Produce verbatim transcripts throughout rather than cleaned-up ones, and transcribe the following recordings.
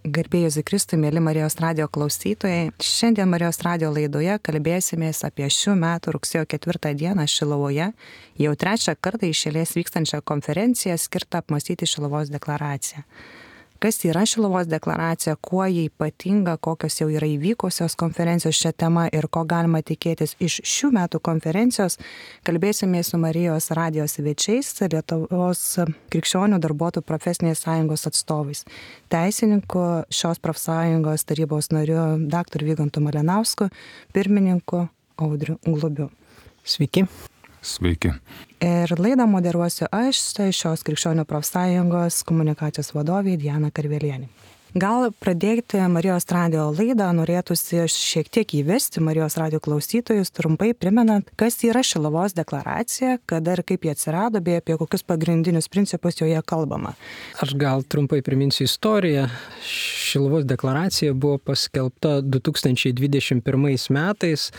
Garbėjai Jėzui Kristui, mėly Marijos radijo klausytojai. Šiandien Marijos radijo laidoje kalbėsimės apie šių metų rugsėjo ketvirtą dieną Šiluvoje, jau trečią kartą iš eilės vykstančią konferenciją skirtą apmąstyti Šiluvos deklaraciją. Kas yra Šiluvos deklaracija, kuo ji ypatinga, kokios jau yra įvykusios konferencijos šią temą ir ko galima tikėtis iš šių metų konferencijos, kalbėsimės su Marijos radijo svečiais, Lietuvos krikščionių darbuotojų profesinės sąjungos atstovais, teisininku, šios profsąjungos tarybos nariu dr. Vygantu Malinausku, pirmininku Audriu Glubiu. Sveiki. Sveiki. Ir laidą moderuosiu aš, šios krikščionių profsąjungos komunikacijos vadovė Diana Karvelienė. Gal pradėti Marijos radijo laidą norėtųsi šiek tiek įvesti Marijos radijo klausytojus, trumpai primenant, kas yra Šiluvos deklaracija, kada ir kaip jie atsirado, bei apie kokius pagrindinius principus joje kalbama. Aš gal trumpai priminsiu istoriją. Šiluvos deklaracija buvo paskelbta du tūkstančiai dvidešimt pirmais metais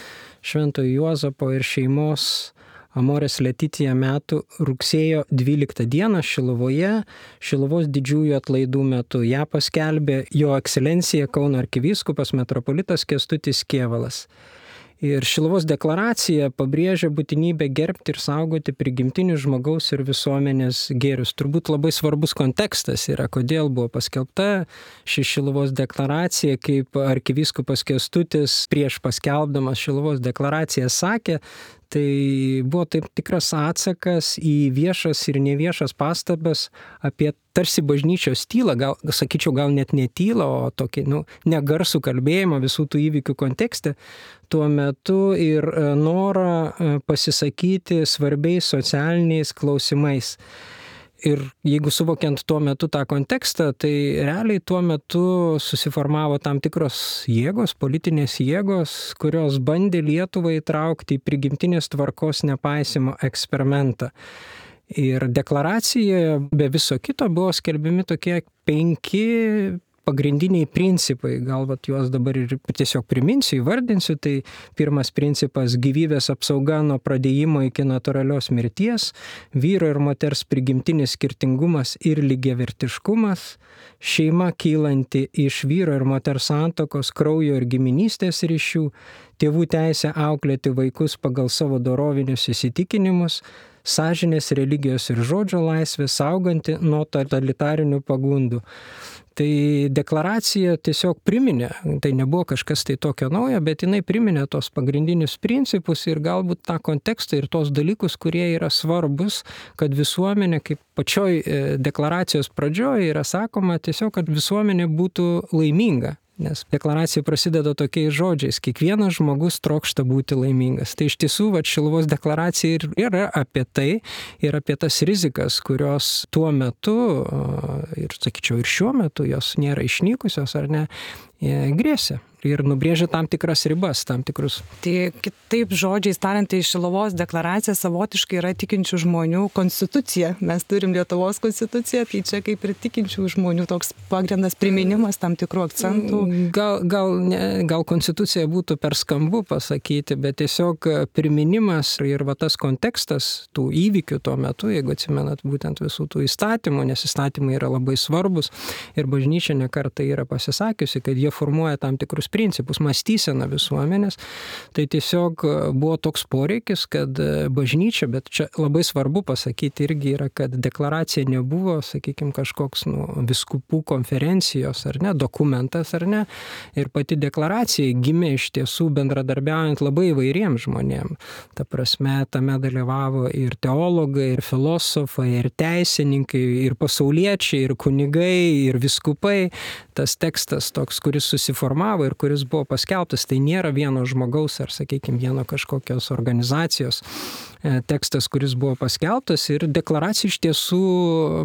Šventojo Juozapo ir šeimos Amorės Letitia metų rugsėjo dvyliktą dieną Šiluvoje, Šiluvos didžiųjų atlaidų metu. Ja paskelbė jo ekscelencija Kauno arkivyskupas metropolitas Kęstutis Kėvalas. Ir Šiluvos deklaracija pabrėžia būtinybę gerbti ir saugoti prigimtinius žmogaus ir visuomenės gėrius. Turbūt labai svarbus kontekstas yra, kodėl buvo paskelbta ši Šiluvos deklaracija, kaip arkivyskupas Kęstutis prieš paskelbdamas Šiluvos deklaraciją sakė, tai buvo taip tikras atsakas į viešas ir neviešas pastabas apie tarsi bažnyčios tylą, gal, sakyčiau, gal net ne tylą, o tokį, nu, negarsų kalbėjimą visų tų įvykių kontekste tuo metu ir norą pasisakyti svarbiais socialiniais klausimais. Ir jeigu suvokiant tuo metu tą kontekstą, tai realiai tuo metu susiformavo tam tikros jėgos, politinės jėgos, kurios bandė Lietuvą įtraukti į prigimtinės tvarkos nepaisimo eksperimentą. Ir deklaracijoje be viso kito buvo skelbiami tokie penki pagrindiniai principai, gal vat juos dabar ir tiesiog priminsiu, įvardinsiu, tai pirmas principas - gyvybės apsauga nuo pradėjimo iki natūralios mirties, vyro ir moters prigimtinis skirtingumas ir lygiavertiškumas, šeima kylanti iš vyro ir moters santuokos, kraujo ir giminystės ryšių, tėvų teisė auklėti vaikus pagal savo dorovinius įsitikinimus, sąžinės, religijos ir žodžio laisvė, sauganti nuo totalitarinių pagundų. Tai deklaracija tiesiog priminė, tai nebuvo kažkas tai tokio naujo, bet jinai priminė tos pagrindinius principus ir galbūt tą kontekstą ir tos dalykus, kurie yra svarbus, kad visuomenė, kaip pačioj deklaracijos pradžioje yra sakoma, tiesiog, kad visuomenė būtų laiminga. Nes deklaracija prasideda tokiais žodžiais: kiekvienas žmogus trokšta būti laimingas. Tai iš tiesų, va, Šiluvos deklaracija ir yra apie tai ir apie tas rizikas, kurios tuo metu, ir sakyčiau ir šiuo metu, jos nėra išnykusios ar ne, grėsia. Ir nubrėžia tam tikras ribas, tam tikrus. Tai kitaip žodžiais tariant, tai Šiluvos deklaracija savotiškai yra tikinčių žmonių konstitucija. Mes turim Lietuvos konstituciją, tai čia kaip ir tikinčių žmonių toks pagrindas, priminimas tam tikrų akcentų. Gal, gal, ne, gal konstitucija būtų per skambu pasakyti, bet tiesiog priminimas ir va tas kontekstas tų įvykių tuo metu, jeigu atsimenat būtent visų tų įstatymų, nes įstatymai yra labai svarbus ir bažnyčia ne kartą yra pasisakiusi, kad jie formuoja tam tikrus principus, mąstyseną visuomenės, tai tiesiog buvo toks poreikis, kad bažnyčia, bet čia labai svarbu pasakyti irgi yra, kad deklaracija nebuvo, sakykime, kažkoks nu, vyskupų konferencijos ar ne, dokumentas ar ne, ir pati deklaracija gimė iš tiesų bendradarbiaujant labai įvairiems žmonėms. Ta prasme, tame dalyvavo ir teologai, ir filosofai, ir teisininkai, ir pasauliečiai, ir kunigai, ir viskupai. Tas tekstas toks, kuris susiformavo ir kuris buvo paskelbtas, tai nėra vieno žmogaus ar, sakykime, vieno kažkokios organizacijos tekstas, kuris buvo paskelbtas, ir deklaracija iš tiesų,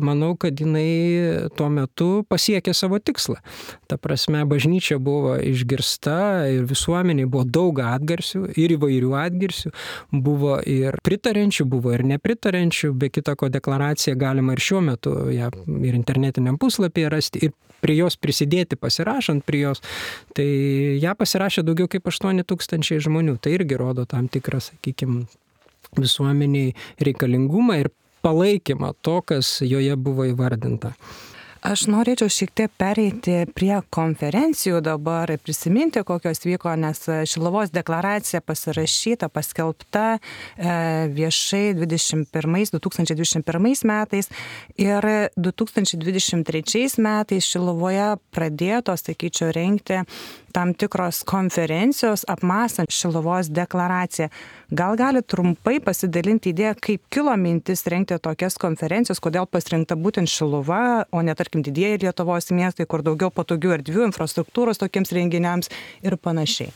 manau, kad jinai tuo metu pasiekė savo tikslą. Ta prasme, bažnyčia buvo išgirsta ir visuomeniai buvo daug atgarsių ir įvairių atgarsių, buvo ir pritarenčių, buvo ir nepritarenčių, be kita ko deklaraciją galima ir šiuo metu ja, ir internetiniam puslapyje rasti ir prie jos prisidėti, pasirašant prie jos. Tai ją pasirašė daugiau kaip aštuoni tūkstančiai žmonių. Tai irgi rodo tam tikrą, sakykime, visuomeniai reikalingumą ir palaikymą to, kas joje buvo įvardinta. Aš norėčiau šiek tiek pereiti prie konferencijų dabar ir prisiminti, kokios vyko, nes Šiluvos deklaracija pasirašyta, paskelbta viešai dvidešimt pirmais, du tūkstančiai dvidešimt pirmais metais ir du tūkstančiai dvidešimt trečiais metais Šiluvoje pradėto, sakyčiau, rengti tam tikros konferencijos apmąstant Šiluvos deklaraciją. Gal gali trumpai pasidalinti idėją, kaip kilo mintis rengti tokias konferencijos, kodėl pasirinkta būtent Šiluva, o ne tarkim didieji Lietuvos miestai, kur daugiau patogių erdvių, infrastruktūros tokiems renginiams ir panašiai.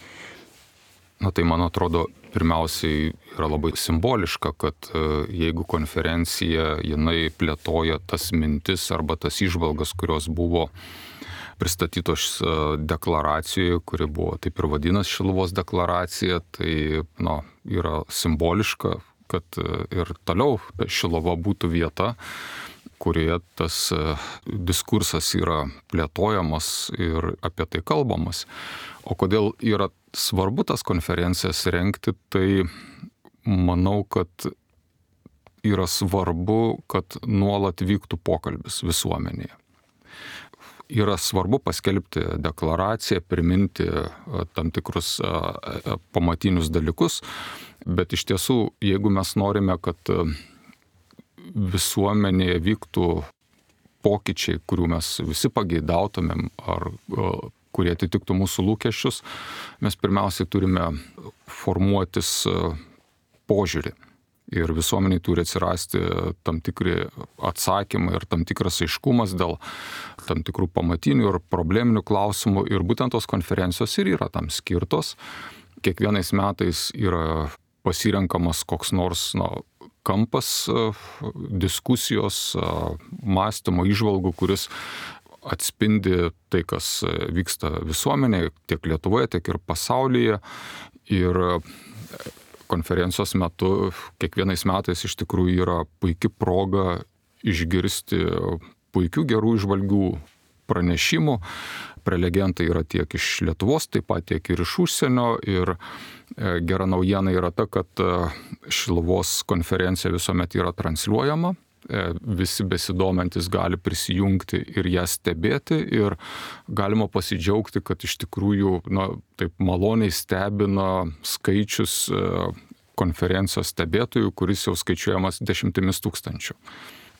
Na tai man atrodo, pirmiausiai yra labai simboliška, kad jeigu konferencija jinai plėtoja tas mintis arba tas įžvalgas, kurios buvo pristatytos deklaracijoje, kuri buvo taip ir vadinasi Šiluvos deklaracija, tai na, yra simboliška, kad ir toliau Šiluva būtų vieta, kurioje tas diskursas yra plėtojamas ir apie tai kalbamas. O kodėl yra svarbu tas konferencijas rengti, tai manau, kad yra svarbu, kad nuolat vyktų pokalbis visuomenėje. Yra svarbu paskelbti deklaraciją, priminti tam tikrus pamatinius dalykus, bet iš tiesų, jeigu mes norime, kad visuomenėje vyktų pokyčiai, kurių mes visi pageidautumėm ar kurie atitiktų mūsų lūkesčius, mes pirmiausiai turime formuotis požiūrį. Ir visuomeniai turi atsirasti tam tikri atsakymai ir tam tikras aiškumas dėl tam tikrų pamatinių ir probleminių klausimų. Ir būtent tos konferencijos ir yra tam skirtos. Kiekvienais metais yra pasirenkamas koks nors na, kampas diskusijos, mąstymo, įžvalgų, kuris atspindi tai, kas vyksta visuomenėje, tiek Lietuvoje, tiek ir pasaulyje. Ir konferencijos metu kiekvienais metais iš tikrųjų yra puikia proga išgirsti puikių gerų įžvalgių pranešimų. Prelegentai yra tiek iš Lietuvos, taip pat tiek ir iš užsienio. Ir gera naujiena yra ta, kad Šiluvos konferencija visuomet yra transliuojama. Visi besidomintis gali prisijungti ir ją stebėti ir galima pasidžiaugti, kad iš tikrųjų na, taip maloniai stebina skaičius konferencijos stebėtojų, kuris jau skaičiuojamas dešimtimis tūkstančių.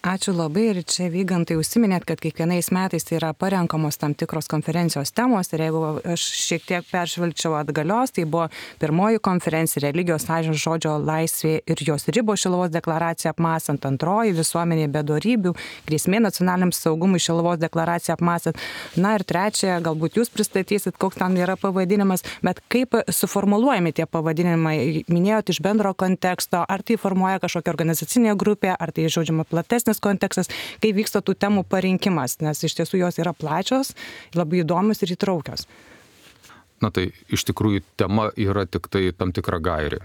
Ačiū labai ir čia Vygantai užsiminėt, kad kiekvienais metais tai yra parenkamos tam tikros konferencijos temos ir jeigu aš šiek tiek peržvelgčiau atgalios, tai buvo pirmoji konferencija religijos sąžinės žodžio laisvė ir jos ribos Šiluvos deklaracija apmąstant, antroji visuomenė be dorybių, grėsmė nacionaliniam saugumui Šiluvos deklaracija apmąstant, na ir trečia, galbūt jūs pristatysit, koks tam yra pavadinimas, bet kaip suformuluojami tie pavadinimai, minėjot iš bendro konteksto, ar tai formuoja kažkokia organizacinė grupė, ar tai žodžiama platesnis kontekstas, kai vyksta tų temų parinkimas, nes iš tiesų jos yra plačios, labai įdomios ir įtraukios. Na tai iš tikrųjų tema yra tik tai tam tikra gairė.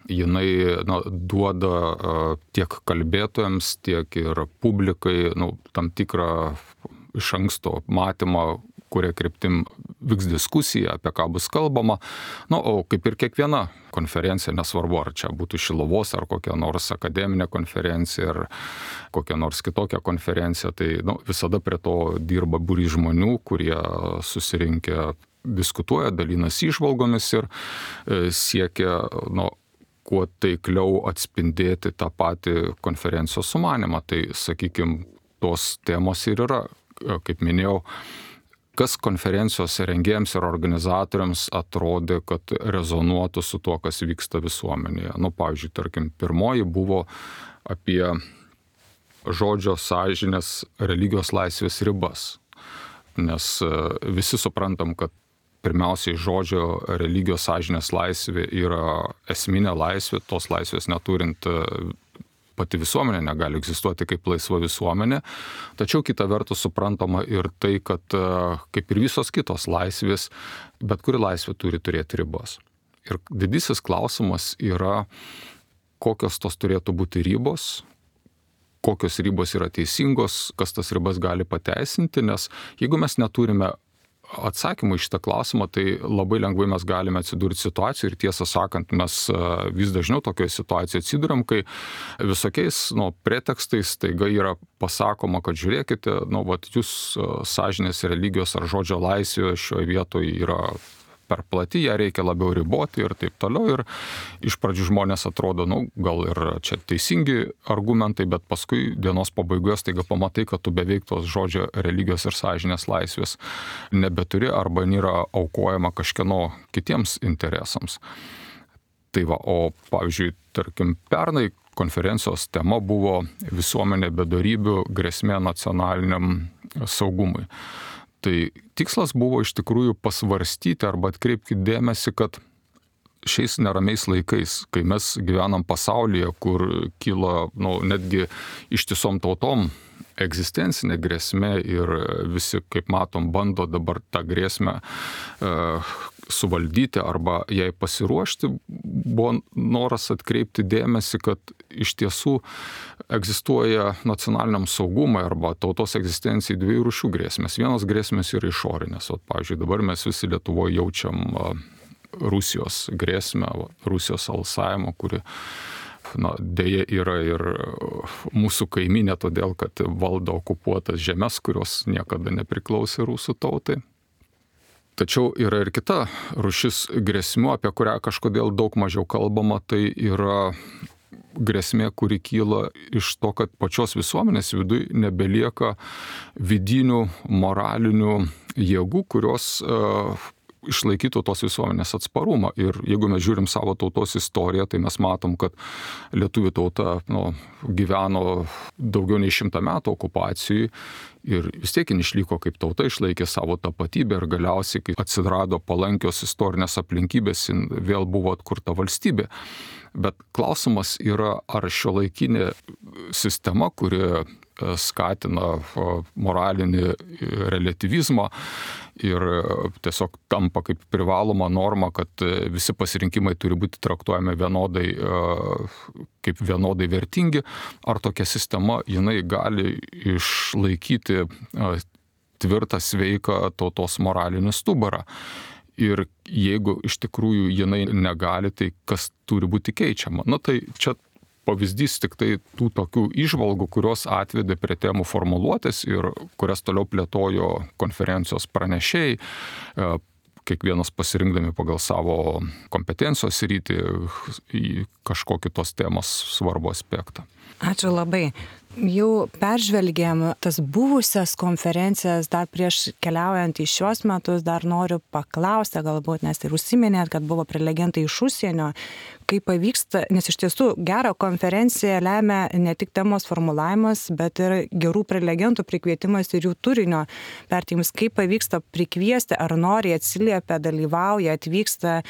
Jinai na, duoda uh, tiek kalbėtojams, tiek ir publikai nu, tam tikrą iš anksto matymą, kuria kryptim vyks diskusija, apie ką bus kalbama. Na, o kaip ir kiekviena konferencija, nesvarbu, ar čia būtų Šiluvos, ar kokia nors akademinė konferencija, ar kokia nors kitokia konferencija, tai nu, visada prie to dirba būrys žmonių, kurie susirinkę diskutuoja, dalinasi įžvalgomis ir e, siekia nu, kuo taikliau atspindėti tą patį konferencijos sumanimą. Tai, sakykime, tos temos ir yra, kaip minėjau, kas konferencijos rengėjams ir organizatoriams atrodė, kad rezonuotų su tuo, kas vyksta visuomenėje. Nu, pavyzdžiui, tarkim, pirmoji buvo apie žodžio sąžinės religijos laisvės ribas. Nes visi suprantam, kad pirmiausiai žodžio religijos sąžinės laisvė yra esminė laisvė, tos laisvės neturint pati visuomenė negali egzistuoti kaip laisva visuomenė, tačiau kita vertus suprantama ir tai, kad kaip ir visos kitos laisvės, bet kuri laisvė turi turėti ribas. Ir didysis klausimas yra, kokios tos turėtų būti ribos, kokios ribos yra teisingos, kas tas ribas gali pateisinti, nes jeigu mes neturime atsakymų į šitą klausimą, tai labai lengvai mes galime atsidurti situacijoje ir tiesą sakant, mes vis dažniau tokioje situacijoje atsiduriam, kai visokiais nu, pretekstais taiga yra pasakoma, kad žiūrėkite, nu, vat, jūs sąžinės, religijos ar žodžio laisvė šioje vietoje yra per plati, ją reikia labiau riboti ir taip toliau. Ir iš pradžių žmonės atrodo, nu, gal ir čia teisingi argumentai, bet paskui dienos pabaigoje staiga pamatai, kad tu beveik tos žodžio, religijos ir sąžinės laisvės nebeturi arba nėra aukojama kažkieno kitiems interesams. Tai va, o pavyzdžiui, tarkim, pernai konferencijos tema buvo visuomenė bedorybių grėsmė nacionaliniam saugumui. Tai tikslas buvo iš tikrųjų pasvarstyti arba atkreipti dėmesį, kad šiais neramiais laikais, kai mes gyvenam pasaulyje, kur kyla nu, netgi ištisom tautom egzistencinė grėsmė ir visi, kaip matom, bando dabar tą grėsmę e, suvaldyti arba jai pasiruošti, buvo noras atkreipti dėmesį, kad iš tiesų egzistuoja nacionaliniam saugumui arba tautos egzistencijai dviejų rūšių grėsmės. Vienos grėsmės yra išorinės. O, pavyzdžiui, dabar mes visi Lietuvoje jaučiam Rusijos grėsmę, Rusijos alsavimą, kuri na, dėja yra ir mūsų kaiminė, todėl kad valdo okupuotas žemės, kurios niekada nepriklausė rusų tautai. Tačiau yra ir kita rūšis grėsmių, apie kurią kažkodėl daug mažiau kalbama, tai yra grėsmė, kuri kyla iš to, kad pačios visuomenės viduje nebelieka vidinių moralinių jėgų, kurios uh, išlaikytų tos visuomenės atsparumą. Ir jeigu mes žiūrim savo tautos istoriją, tai mes matom, kad lietuvių tauta nu, gyveno daugiau nei šimtą metų okupacijai ir vis tiek jin išliko kaip tauta, išlaikė savo tapatybę ir galiausiai, kai atsirado palankios istorinės aplinkybės, jin vėl buvo atkurta valstybė. Bet klausimas yra, ar šiuolaikinė sistema, kuri skatina moralinį relatyvizmą ir tiesiog tampa kaip privaloma norma, kad visi pasirinkimai turi būti traktuojami vienodai, kaip vienodai vertingi, ar tokia sistema jinai gali išlaikyti tvirtą, sveiką tautos moralinį stuburą. Ir jeigu iš tikrųjų jinai negali, tai kas turi būti keičiama? Na tai čia pavyzdys tik tai tų tokių įžvalgų, kurios atvedė prie temų formuluotės ir kurias toliau plėtojo konferencijos pranešėjai, kiekvienas pasirinkdami pagal savo kompetencijos rytį į kažkokį tos temos svarbų aspektą. Ačiū labai. Jau peržvelgėm tas buvusias konferencijas, dar prieš keliaujant į šios metus, dar noriu paklausti galbūt, nes ir užsiminėt, kad buvo prelegentai iš užsienio, kaip pavyksta, nes iš tiesų gerą konferenciją lemia ne tik temos formulavimas, bet ir gerų prelegentų prikvietimas ir jų turinio perteikimas. Kaip pavyksta prikviesti, ar nori atsiliepia, dalyvauja, atvyksta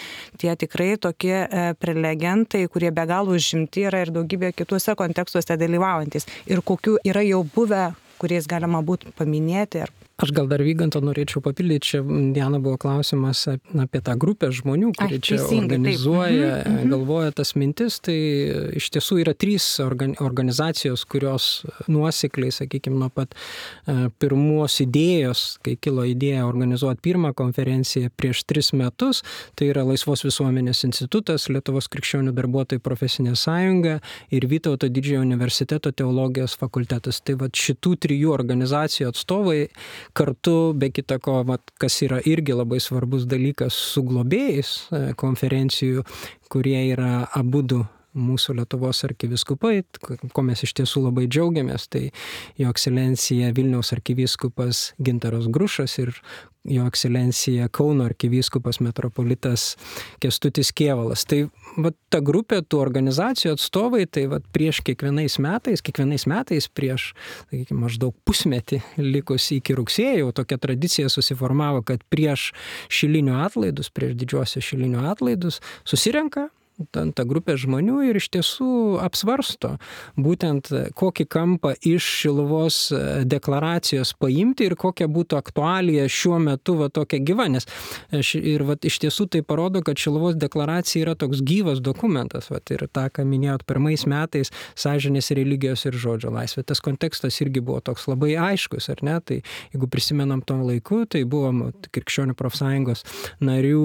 tie tikrai tokie prelegentai, kurie be galo užimti yra ir daugybė kituose kontekstuose dalyvaujantis. Ir kokių yra jau buvę, kuriais galima būtų paminėti. Ar... Aš gal dar Vygantą norėčiau papildyti, čia Diana buvo klausimas apie tą grupę žmonių, kurie čia organizuoja, mhm. galvoja tas mintis, tai iš tiesų yra trys organizacijos, kurios nuosekliai, sakykime, nuo pat pirmos idėjos, kai kilo idėja organizuoti pirmą konferenciją prieš tris metus, tai yra Laisvos visuomenės institutas, Lietuvos krikščionių darbuotojų profesinė sąjunga ir Vytauto Didžiojo universiteto teologijos fakultetas. Tai va šitų trijų organizacijų atstovai kartu, be kita ko, kas yra irgi labai svarbus dalykas, su globėjais konferencijų, kurie yra abudu mūsų Lietuvos arkivyskupai, ko mes iš tiesų labai džiaugiamės, tai jo ekscelencija Vilniaus arkivyskupas Gintaras Grušas ir jo ekscelencija Kauno arkivyskupas metropolitas Kęstutis Kėvalas. Tai va, ta grupė tų organizacijų atstovai, tai va, prieš kiekvienais metais, kiekvienais metais prieš, sakykime, maždaug pusmetį likus iki rugsėjo, tokia tradicija susiformavo, kad prieš šilinių atlaidus, prieš didžiuosius šilinių atlaidus susirenka ta, ta grupė žmonių ir iš tiesų apsvarsto būtent kokį kampą iš Šiluvos deklaracijos paimti ir kokia būtų aktualija šiuo metu va tokia gyva, nes ir va iš tiesų tai parodo, kad Šiluvos deklaracija yra toks gyvas dokumentas, va ir tą, ką minėjot pirmais metais, sąžinės, religijos ir žodžio laisvė. Tas kontekstas irgi buvo toks labai aiškus, ar ne? Tai jeigu prisimenam tom laiku, tai buvo Krikščionių profsąjungos narių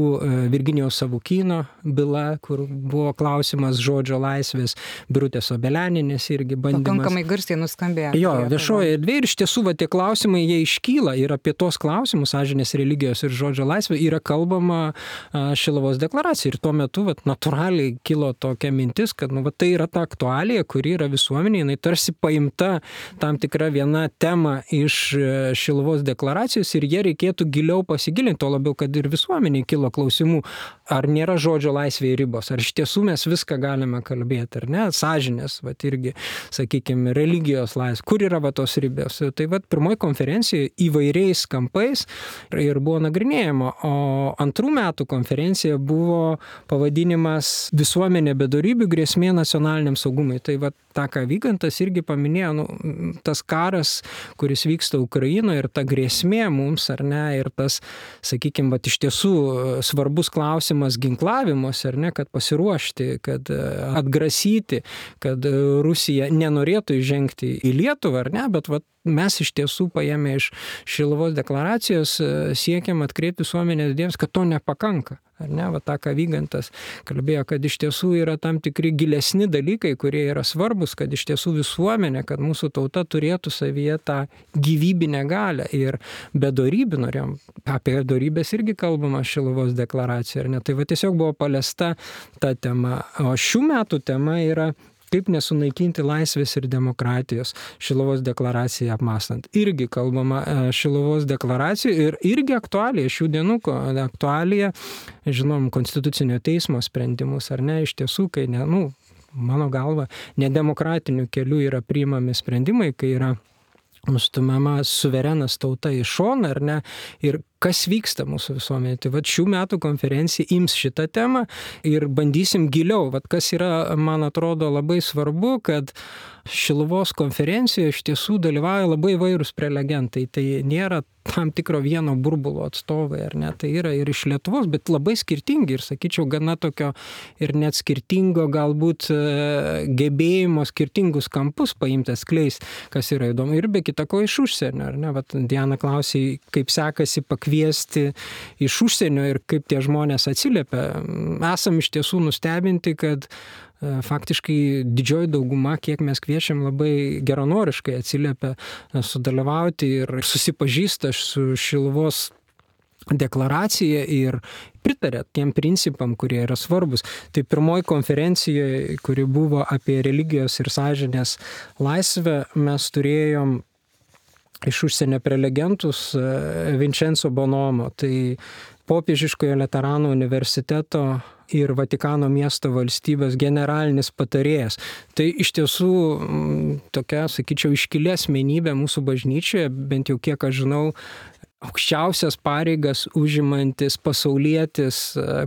Virginijaus Savukyno byla, kur buvo klausimas žodžio laisvės, Birutės Obelianinės irgi bandymas. Pakankamai garsiai nuskambėjo. Jo, viešoje erdvėje ir iš tiesų va, tie klausimai, jie iškyla ir apie tos klausimus, sąžinės, religijos ir žodžio laisvė, yra kalbama Šiluvos deklaracija. Ir tuo metu va, natūraliai kilo tokia mintis, kad nu, va, tai yra ta aktualija, kuri yra visuomenė, jinai tarsi paimta tam tikra viena tema iš Šiluvos deklaracijos ir jie reikėtų giliau pasigilinti, to labiau, kad ir visuomeniai kilo klausimų, ar nėra žodžio laisvėje ribos, ar iš tiesų mes viską galime kalbėti, ar ne, sąžinės, va irgi, sakykime, religijos laisvė, kur yra va tos ribos. Tai va pirmoji konferencija įvairiais kampais ir buvo nagrinėjama, o antrų metų konferencija buvo pavadinimas Visuomenė be dorybių grėsmė nacionaliniam saugumui. Tai va tą, ką Vygantas irgi paminėjo, nu, tas karas, kuris vyksta Ukrainoje ir ta grėsmė mums, ar ne, ir tas, sakykime, va iš tiesų svarbus klausimas ginklavimus, ar ne, kad pasiruošti, kad atgrasyti, kad Rusija nenorėtų įžengti į Lietuvą, ar ne, bet va, mes iš tiesų paėmė iš Šiluvos deklaracijos siekiam atkreipti visuomenės dėmesį, kad to nepakanka. Ar ne, va tą, ką Vygantas kalbėjo, kad iš tiesų yra tam tikri gilesni dalykai, kurie yra svarbus, kad iš tiesų visuomenė, kad mūsų tauta turėtų savyje tą gyvybinę galią ir be dorybių norėjom, apie dorybės irgi kalbama Šiluvos deklaracija, ar ne, tai va tiesiog buvo paliesta ta tema, o šių metų tema yra kaip nesunaikinti laisvės ir demokratijos Šiluvos deklaraciją apmąstant. Irgi kalbama Šiluvos deklaracijų ir irgi aktualija, šių dienų aktualija, žinom, Konstitucinio teismo sprendimus, ar ne, iš tiesų, kai, ne, nu, mano galva, nedemokratiniu keliu yra priimami sprendimai, kai yra nustumiama suverenas tauta į šoną, ar ne, ir kas vyksta mūsų visuomenėje. Tai vat šių metų konferencija ims šitą temą ir bandysim giliau. Vat kas yra, man atrodo, labai svarbu, kad Šiluvos konferencijoje iš tiesų dalyvauja labai įvairūs prelegentai. Tai nėra tam tikro vieno burbulo atstovai, ar ne? Tai yra ir iš Lietuvos, bet labai skirtingi ir, sakyčiau, gana tokio ir net skirtingo galbūt gebėjimo skirtingus kampus paimtas kleis, kas yra įdomu. Ir be kitako iš užsienio, ar ne? Vat Diana klausė, kaip sekasi pakviesti iš užsienio ir kaip tie žmonės atsiliepia. Esam iš tiesų nustebinti, kad faktiškai didžioji dauguma, kiek mes kviečiam, labai geranoriškai atsiliepia sudalyvauti ir susipažįsta su Šiluvos deklaracija ir pritarė tiem principam, kurie yra svarbus. Tai pirmoji konferencijoje, kuri buvo apie religijos ir sąžinės laisvę, mes turėjom iš užsienio prelegentus Vincenzo Bonomo, tai Popiežiškojo Laterano universiteto ir Vatikano miesto valstybės generalinis patarėjas. Tai iš tiesų tokia, sakyčiau, iškili asmenybė mūsų bažnyčioje, bent jau kiek aš žinau, aukščiausias pareigas užimantis pasaulietis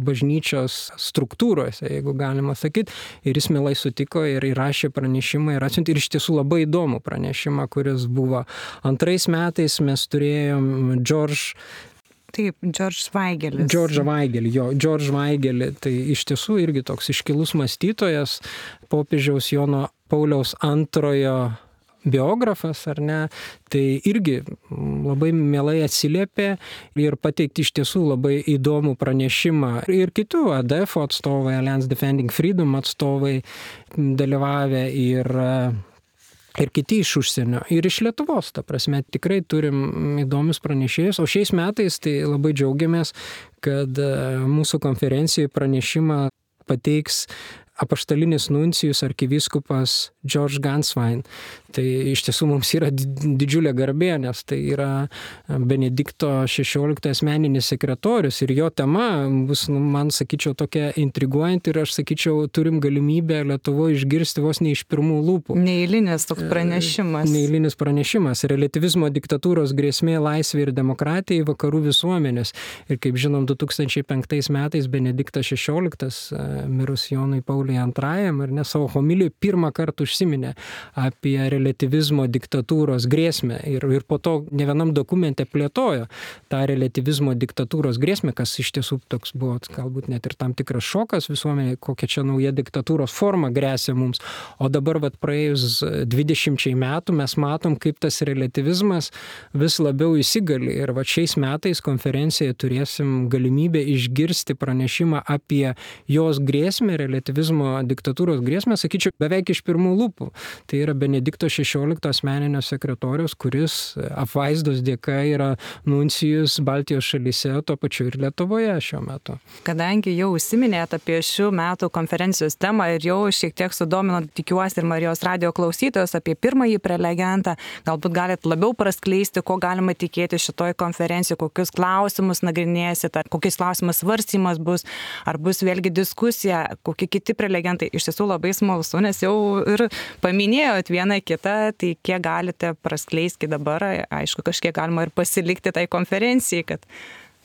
bažnyčios struktūrose, jeigu galima sakyti. Ir jis mielai sutiko ir įrašė pranešimą ir atsiuntė. Ir iš tiesų labai įdomų pranešimą, kuris buvo. Antrais metais mes turėjom George Taip, George Weigelis. George Weigelį, jo, George Weigelį. Tai iš tiesų irgi toks iškilus mąstytojas, popiežiaus Jono Pauliaus antrojo biografas, ar ne, tai irgi labai mielai atsiliepė ir pateikti iš tiesų labai įdomų pranešimą. Ir kitų A D F atstovai, Alliance Defending Freedom atstovai dalyvavę ir ir kiti iš užsienio, ir iš Lietuvos, ta prasme, tikrai turim įdomius pranešėjus, o šiais metais tai labai džiaugiamės, kad mūsų konferencijoje pranešimą pateiks apaštalinis nuncijus arkivyskupas George Ganswein. Tai iš tiesų mums yra didžiulė garbė, nes tai yra Benedikto šešioliktojo asmeninis sekretorius ir jo tema bus, nu, man sakyčiau, tokia intriguojanti ir aš sakyčiau, turim galimybę Lietuvoje išgirsti vos ne iš pirmų lūpų. Neeilinis toks pranešimas. Neeilinis pranešimas. Relativizmo diktatūros grėsmė laisvė ir demokratijai vakarų visuomenės. Ir kaip žinom, du tūkstančiai penktais metais Benediktas šešioliktas, mirus Jonui Pauliui antrajam, ir ne savo homilijoj pirmą kartą užsiminė apie relativizmo diktatūros grėsmę ir, ir po to ne vienam dokumente plėtojo tą relativizmo diktatūros grėsmę, kas iš tiesų toks buvo galbūt net ir tam tikras šokas visuomenėje, kokia čia nauja diktatūros forma grėsia mums. O dabar vat praėjus dvidešimčiai metų mes matom, kaip tas relativizmas vis labiau įsigali. Ir vat šiais metais konferencijoje turėsim galimybę išgirsti pranešimą apie jos grėsmę, relativizmo diktatūros grėsmę, sakyčiau, beveik iš pirmų lūpų. Tai yra Benedikto šešiolikto asmeninio sekretoriaus, kuris apvaizdos dėka yra nuncijus Baltijos šalyse, tuo pačiu ir Lietuvoje šiuo metu. Kadangi jau užsiminėt apie šių metų konferencijos temą ir jau šiek tiek sudomino, tikiuosi, ir Marijos radijo klausytojus apie pirmąjį prelegentą, galbūt galite labiau praskleisti, ko galima tikėti šitoj konferencijoje, kokius klausimus nagrinėsit, ar kokiais klausimas svarstymas bus, ar bus vėlgi diskusija, kokie kiti prelegentai. Iš tiesų labai smalsu, nes jau ir paminėjot vieną kitą, tai kiek galite praskleisti dabar, aišku, kažkiek galima ir pasilikti tai konferencijai, kad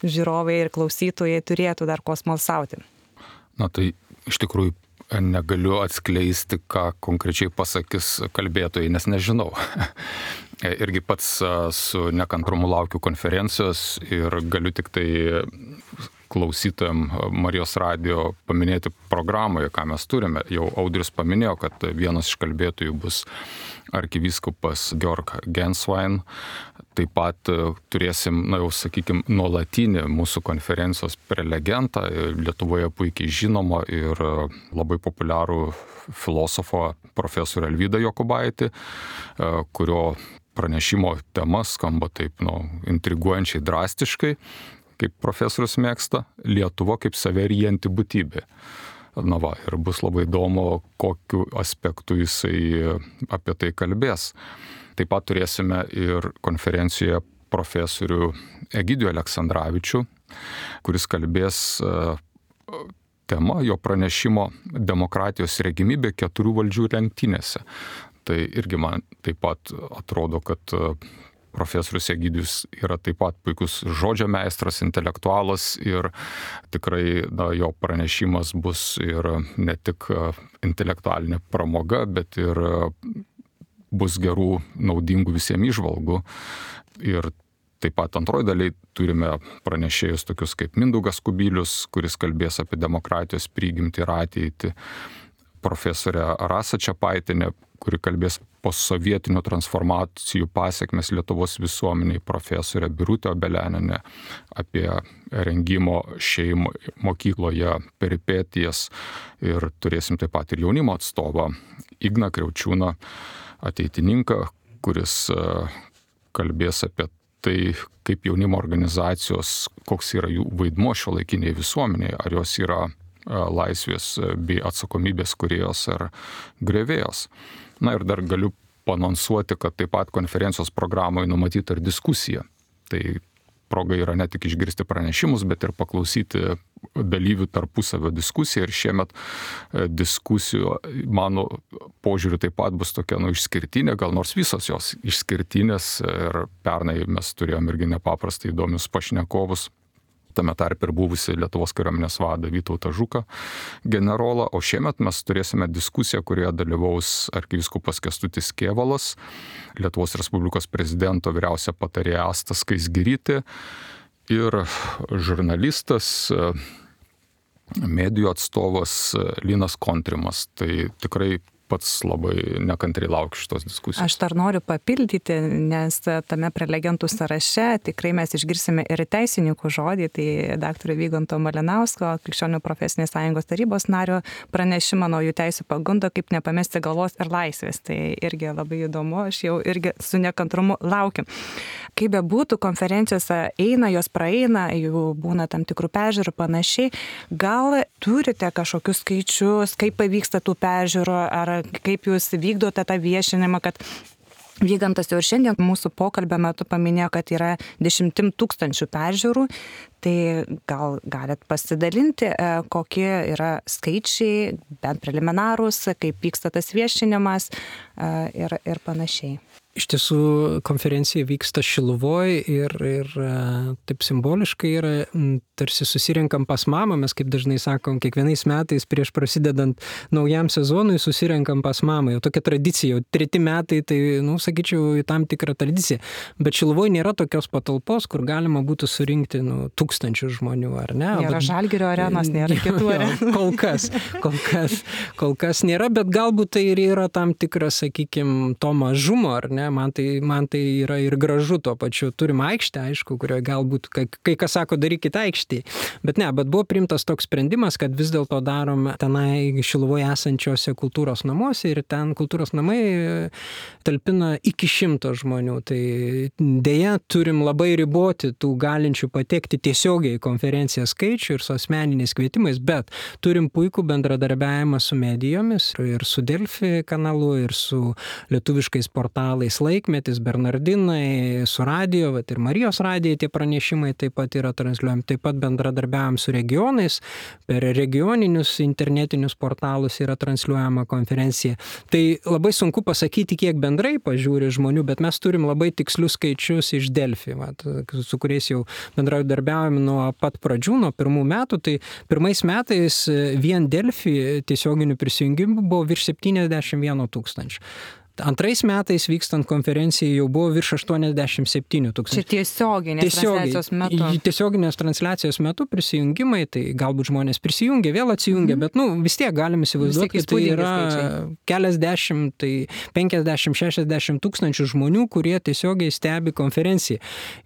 žiūrovai ir klausytojai turėtų dar ko smalsauti. Na tai iš tikrųjų negaliu atskleisti, ką konkrečiai pasakys kalbėtojai, nes nežinau. Irgi pats su nekantrumu laukiu konferencijos ir galiu tik tai klausytojam Marijos radijo paminėti programoje, ką mes turime. Jau Audrius paminėjo, kad vienas iš kalbėtojų bus arkivyskupas Georg Ganswein. Taip pat turėsim, na jau sakykime, nuolatinį mūsų konferencijos prelegentą, Lietuvoje puikiai žinomą ir labai populiarų filosofą profesorių Alvydą Jokubaitį, kurio pranešimo tema skamba taip, nu, intriguojančiai drastiškai, kaip profesorius mėgsta, Lietuva kaip saverijanti būtybė. Na va, ir bus labai įdomu, kokiu aspektu jisai apie tai kalbės. Taip pat turėsime ir konferencijoje profesorių Egidijų Aleksandravičių, kuris kalbės tema jo pranešimo demokratijos regimybė keturių valdžių lenktynėse. Tai irgi man taip pat atrodo, kad profesorius Egidijus yra taip pat puikus žodžio meistras, intelektualas ir tikrai, na, jo pranešimas bus ir ne tik intelektualinė pramoga, bet ir bus gerų, naudingų visiems įžvalgų. Ir taip pat antroji daliai turime pranešėjus tokius kaip Mindaugas Kubilius, kuris kalbės apie demokratijos prigimtį ir ateitį, profesorė Rasa Čepaitinė, kuri kalbės postsovietinių transformacijų pasiekmes Lietuvos visuomeniai, profesorė Birutė Obeleninė apie rengimo šeimo mokykloje peripetijas ir turėsim taip pat ir jaunimo atstovą Igną Kriaučiūną, ateitininką, kuris kalbės apie tai, kaip jaunimo organizacijos, koks yra jų vaidmuo šiuolaikinėje visuomenėje, ar jos yra laisvės bei atsakomybės kūrėjos ar grevėjos. Na ir dar galiu paanonsuoti, kad taip pat konferencijos programoje numatyta ir diskusija. Tai proga yra ne tik išgirsti pranešimus, bet ir paklausyti dalyvių tarpusavio diskusiją. Ir šiemet diskusijų, mano požiūriu, taip pat bus tokia, nu, išskirtinė, gal nors visos jos išskirtinės. Ir pernai mes turėjom irgi nepaprastai įdomius pašnekovus. Tame tarp ir buvusi Lietuvos kariuomenės vadą Vytautą Žuką generolą, o šiemet mes turėsime diskusiją, kurioje dalyvaus arkivyskupas Kęstutis Kėvalas, Lietuvos Respublikos prezidento vyriausia patarėja Asta Skaisgirytė ir žurnalistas, medijų atstovas Linas Kontrimas. Tai tikrai pats labai nekantriai laukiu šitos diskusijos. Aš dar noriu papildyti, nes tame prelegentų sąraše tikrai mes išgirsime ir teisininkų žodį, tai daktaro Vyganto Malinausko, Krikščionių profesinės sąjungos tarybos nario pranešimą naujų teisių pagundo, kaip nepamesti galvos ir laisvės. Tai irgi labai įdomu, aš jau irgi su nekantrumu laukiu. kaip be būtų, konferencijose eina, jos praeina, jų būna tam tikrų peržiūrų panašiai. Gal turite kažkokius skaičius, kaip pavyksta tų peržiūrų, ar kaip jūs vykdote tą viešinimą, kad Vygantas jau ir šiandien mūsų pokalbio metu paminėjo, kad yra dešimtim tūkstančių peržiūrų, tai gal galit pasidalinti, kokie yra skaičiai, bent preliminarūs, kaip vyksta tas viešinimas ir, ir panašiai. Iš tiesų, konferencija vyksta Šiluvoj ir, ir taip simboliškai yra, tarsi susirenkam pas mamą, mes kaip dažnai sakom, kiekvienais metais prieš prasidedant naujam sezonui susirenkam pas mamą, jau tokia tradicija, jau treti metai, tai, nu, sakyčiau, tam tikrą tradiciją. Bet Šiluvoj nėra tokios patalpos, kur galima būtų surinkti, nu, tūkstančių žmonių, ar ne? Nėra bet, Žalgirio arenos, nėra kitų arenų. Kol kas, kol kas, kol kas nėra, bet galbūt tai ir yra tam tikras, sakykime, to mažumo, ar ne? Man tai, man tai yra ir gražu tuo pačiu. Turim aikštę, aišku, kurioje galbūt kai, kai kas sako, darykit aikštį. Bet ne, bet buvo priimtas toks sprendimas, kad vis dėlto darom tenai Šiluvoje esančiose kultūros namuose ir ten kultūros namai talpina iki šimto žmonių. Tai dėja turim labai riboti tų galinčių patekti tiesiogiai į konferenciją skaičių ir su asmeniniais kvietimais, bet turim puikų bendradarbiavimą su medijomis ir su Delfi kanalu, ir su lietuviškais portalais Laikmetis, Bernardinai, su radijo, vat ir Marijos radijai tie pranešimai taip pat yra transliuojami, taip pat bendradarbiavom su regionais, per regioninius internetinius portalus yra transliuojama konferencija. Tai labai sunku pasakyti, kiek bendrai pažiūri žmonių, bet mes turim labai tikslius skaičius iš Delfi, vat, su kuriais jau bendradarbiavom nuo pat pradžių, nuo pirmų metų. Tai pirmais metais vien Delfi tiesioginių prisijungimų buvo virš septyniasdešimt vienas tūkstančių. Antrais metais vykstant konferencijai jau buvo virš aštuoniasdešimt septyni tūkstančiai. Čia tiesioginės Tiesiogiai, transliacijos metu. Tiesioginės transliacijos metu prisijungimai, tai galbūt žmonės prisijungia, vėl atsijungia, mm-hmm. bet nu, vis tiek galim įsivaizduoti, kad tai yra keliasdešimt, tai penkiasdešimt šešiasdešimt tūkstančių žmonių, kurie tiesiogiai stebi konferenciją.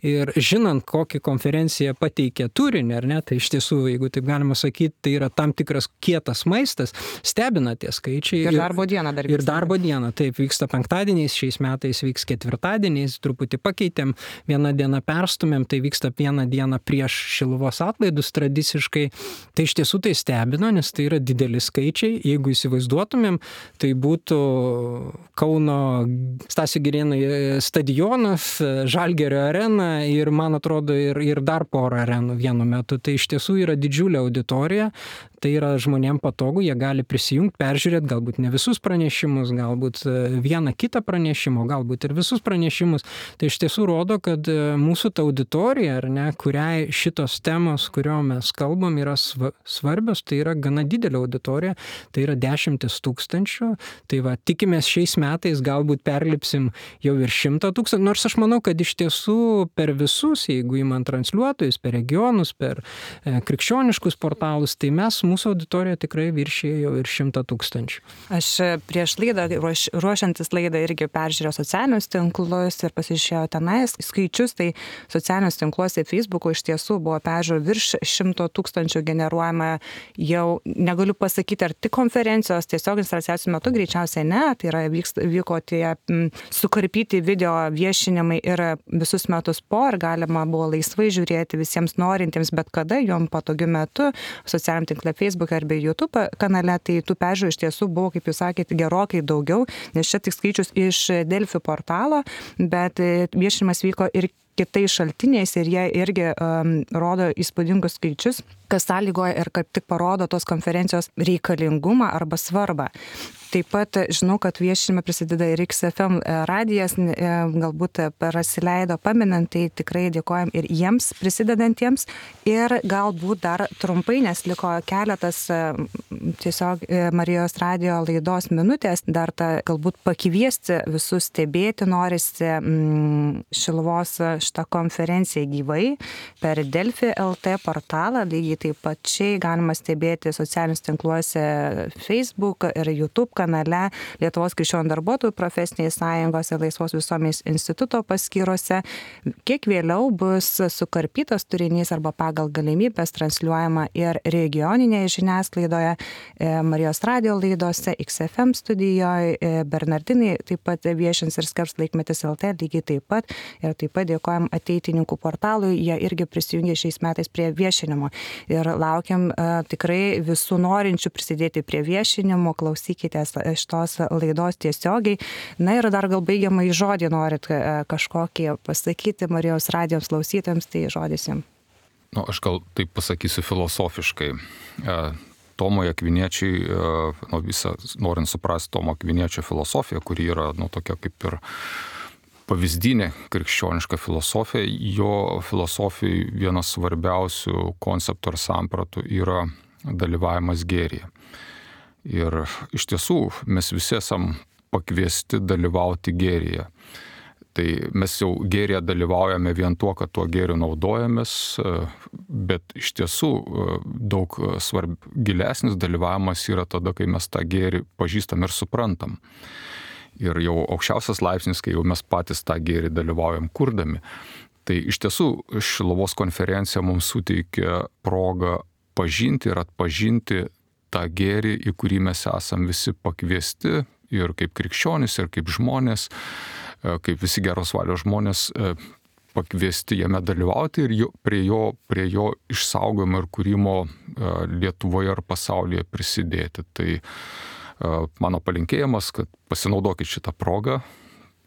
Ir žinant, kokį konferenciją pateikia turinį, ar ne, tai iš tiesų, jeigu taip galima sakyti, tai yra tam tikras kietas maistas, stebina tie skaičiai. Ir darbo diena dar vyksta. Ir darbo diena, taip, vyksta penktadieniais, šiais metais vyks ketvirtadieniais, truputį pakeitėm, vieną dieną perstumėm, tai vyksta vieną dieną prieš Šiluvos atlaidus tradiciškai. Tai iš tiesų tai stebino, nes tai yra dideli skaičiai. Jeigu įsivaizduotumėm, tai būtų Kauno Stasio Girėno stadionas, Žalgirio arena ir, man atrodo, ir, ir dar porą arenų vienu metu. Tai iš tiesų yra didžiulė auditorija. Tai yra žmonėm patogu, jie gali prisijungti, peržiūrėti galbūt ne visus pranešimus, galbūt vieną kitą pranešimą, galbūt ir visus pranešimus. Tai iš tiesų rodo, kad mūsų ta auditorija, ar ne, kuriai šitos temos, kurio mes kalbam, yra svarbios, tai yra gana didelė auditorija, tai yra dešimtis tūkstančių. Tai va, tikimės šiais metais galbūt perlipsim jau ir šimtą tūkstančių, nors aš manau, kad iš tiesų per visus, jeigu įman transliuotojus, per regionus, per e, krikščioniškus portalus, tai mes mūsų auditorija tikrai viršė jau ir šimtą tūkstančių. Aš prieš laidą, ruoš, ruošiantis laidą irgi peržiūrėjau socialinius tinklus ir pasižiūrėjau tenais skaičius, tai socialinius tinkluose Facebook'o iš tiesų buvo peržiūrų virš šimto tūkstančių generuojama jau, negaliu pasakyti, ar tik konferencijos tiesioginės transliacijos metu, greičiausiai ne, tai yra vyks, vyko tie m, sukarpyti video viešinimai ir visus metus po, ir galima buvo laisvai žiūrėti visiems norintiems, bet kada jom patogiu metu socialiniam tinkle Facebook arba YouTube kanale, tai tų peržiūrų iš tiesų buvo, kaip jūs sakėte, gerokai daugiau, nes čia tik skaičius iš Delfi portalo, bet viešinimas vyko ir kitais šaltiniais ir jie irgi um, rodo įspūdingus skaičius, kas sąlygoja ir kaip tik parodo tos konferencijos reikalingumą arba svarbą. Taip pat žinau, kad viešinime prisideda ir X F M radijas, galbūt prasileido paminant, tai tikrai dėkojam ir jiems prisidedantiems. Ir galbūt dar trumpai, nes liko keletas tiesiog Marijos radijo laidos minutės, dar tą galbūt pakviesti visus stebėti norisi mm, Šiluvos šitą konferenciją gyvai per Delfi L T portalą, lygiai taip pačiai galima stebėti socialinius tinkluose Facebook ir YouTube kanale, Lietuvos krikščionių darbuotojų profesinės sąjungos ir Laisvos visuomenės instituto paskyrose. Kiek vėliau bus sukarpytas turinys arba pagal galimybės transliuojama ir regioninėje žiniasklaidoje, Marijos radio laidose, X F M studijoje, Bernardinai taip pat viešins ir skelbs Laikmetis L T lygiai taip pat. Ir taip pat dėkojam Ateitininkų portalui, jie irgi prisijungė šiais metais prie viešinimo. Ir laukiam uh, tikrai visų norinčių prisidėti prie viešinimo, klausykitės šitos laidos tiesiogiai. Na ir dar gal baigiamą į žodį norit uh, kažkokį pasakyti Marijos radijos klausytojams, tai žodis jums. Nu, aš gal taip pasakysiu filosofiškai. Uh, Tomo Akviniečiai, uh, nu, visą, norint suprasti Tomo Akviniečio filosofiją, kuri yra nu, tokia kaip ir pavyzdinė krikščioniška filosofija, jo filosofijai vienas svarbiausių konceptų ar sampratų yra dalyvavimas gėryje. Ir iš tiesų mes visi esam pakviesti dalyvauti gėryje. Tai mes jau gėryje dalyvaujame vien tuo, kad tuo gėriu naudojamės, bet iš tiesų daug svarb, gilesnis dalyvavimas yra tada, kai mes tą gėrį pažįstam ir suprantam. Ir jau aukščiausias laipsnis, kai jau mes patys tą gėrį dalyvaujam kurdami. Tai iš tiesų Šiluvos konferencija mums suteikia progą pažinti ir atpažinti tą gėrį, į kurį mes esam visi pakviesti ir kaip krikščionys, ir kaip žmonės, kaip visi geros valios žmonės pakviesti jame dalyvauti ir jo, prie, jo, prie jo išsaugojimo ir kūrimo Lietuvoje ar pasaulyje prisidėti. Tai mano palinkėjimas, kad pasinaudokit šitą progą,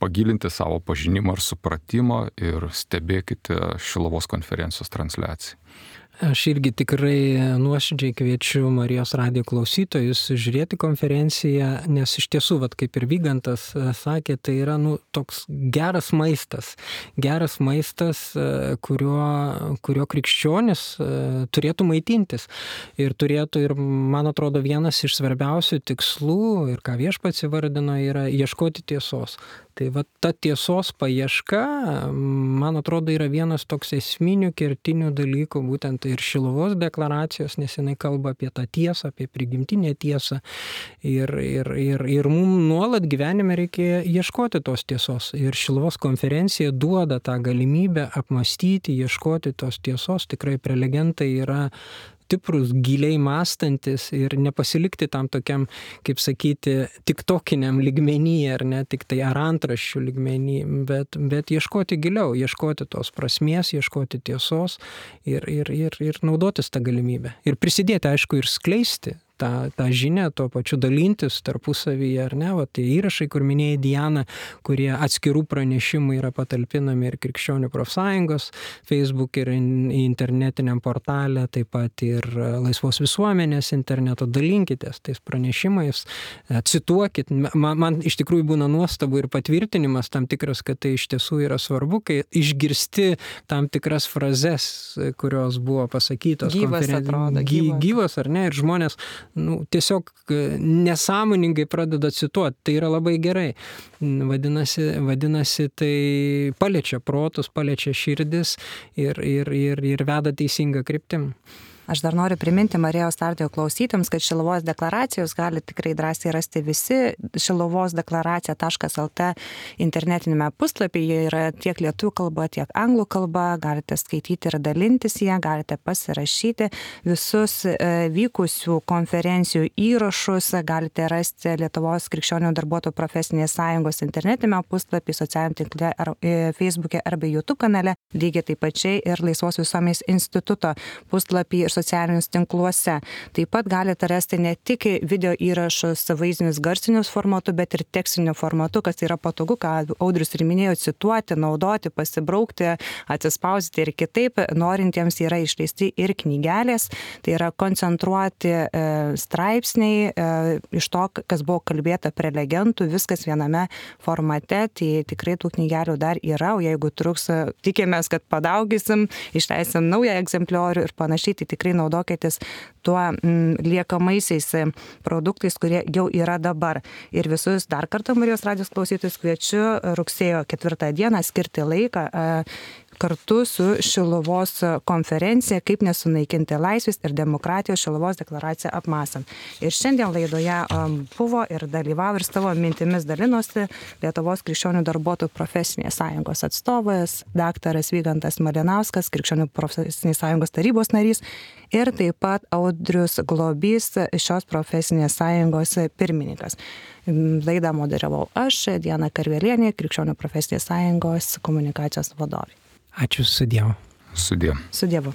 pagilinti savo pažinimą ir supratimą ir stebėkite Šiluvos konferencijos transliaciją. Aš irgi tikrai nuoširdžiai kviečiu Marijos radijo klausytojus žiūrėti konferenciją, nes iš tiesų, vat, kaip ir Vygantas sakė, tai yra nu, toks geras maistas. Geras maistas, kurio, kurio krikščionis turėtų maitintis. Ir turėtų, ir man atrodo, vienas iš svarbiausių tikslų, ir ką Viešpats įvardino, yra ieškoti tiesos. Tai va ta tiesos paieška, man atrodo, yra vienas toks esminių kertinių dalykų, būtent ir Šiluvos deklaracijos, nes jinai kalba apie tą tiesą, apie prigimtinę tiesą. Ir, ir, ir, ir mums nuolat gyvenime reikia ieškoti tos tiesos. Ir Šiluvos konferencija duoda tą galimybę apmastyti, ieškoti tos tiesos. Tikrai prelegentai yra stiprus, giliai mąstantis ir nepasilikti tam tokiam, kaip sakyti, tiktokiniam lygmenyje, ar ne, tik tai ar antraščių lygmenį, bet, bet ieškoti giliau, ieškoti tos prasmės, ieškoti tiesos ir, ir, ir, ir naudotis tą galimybę. Ir prisidėti, aišku, ir skleisti tą, tą žinią, tuo pačiu dalintis tarpusavyje, ar ne, va, tai įrašai, kur minėjai Diana, kurie atskirų pranešimų yra patalpinami ir Krikščionių profsąjungos Facebook ir internetiniam portale, taip pat ir Laisvos visuomenės interneto, dalinkitės tais pranešimais, cituokit. Man, man iš tikrųjų būna nuostabu ir patvirtinimas tam tikras, kad tai iš tiesų yra svarbu, kai išgirsti tam tikras frazes, kurios buvo pasakytos. Gyvas atrodo, gyvas. Gyvas, ar ne, ir žmonės nu, tiesiog nesąmoningai pradeda cituoti, tai yra labai gerai. Vadinasi, vadinasi tai paliečia protus, paliečia širdis ir, ir, ir, ir veda teisingą kryptim. Aš dar noriu priminti Marijos radijo klausytėms, kad Šiluvos deklaracijos gali tikrai drąsiai rasti visi šiluvos deklaracija taškas el te internetinėme puslapyje. Jie yra tiek lietuvių kalba, tiek anglų kalba. Galite skaityti ir dalintis ją, galite pasirašyti. Visus e, vykusių konferencijų įrašus galite rasti Lietuvos krikščionių darbuotojų profesinės sąjungos internetinėme puslapyje, socialiniame tinkle, ar, e, Facebook'e arba YouTube kanale. Lygiai taip pačiai ir Laisvos visuomenės instituto puslapyje ir socialinius tinkluose. Taip pat galite rasti ne tik video įrašus vaizdinius garsinius formatu, bet ir tekstiniu formatu, kas yra patogu, ką Audrius ir minėjo, cituoti, naudoti, pasibraukti, atsispausdinti ir kitaip. Norintiems yra išleisti ir knygelės, tai yra koncentruoti e, straipsniai e, iš to, kas buvo kalbėta prelegentų, viskas viename formate, tai tikrai tų knygelių dar yra, o jeigu truks, tikėmės, kad padaugysim, išleisim naują egzempliorių ir panašiai, tai tikrai naudokitės tuo m, liekamaisiais produktais, kurie jau yra dabar. Ir visus dar kartą Marijos radijos klausytojus kviečiu rugsėjo ketvirtą dieną skirti laiką, kartu su Šiluvos konferencija kaip nesunaikinti laisvės ir demokratijos Šiluvos deklaraciją apmąstant. Ir šiandien laidoje buvo ir dalyvavo ir savo mintimis dalinosi Lietuvos krikščionių darbuotojų profesinės sąjungos atstovas, daktaras Vygantas Malinauskas, krikščionių profesinės sąjungos tarybos narys ir taip pat Audrius Globys, šios profesinės sąjungos pirmininkas. Laidą moderavau aš, Diana Karvelienė, krikščionių profesinės sąjungos komunikacijos vadovė. Ačiū, su Dievu. Su Dievu. Su Dievu.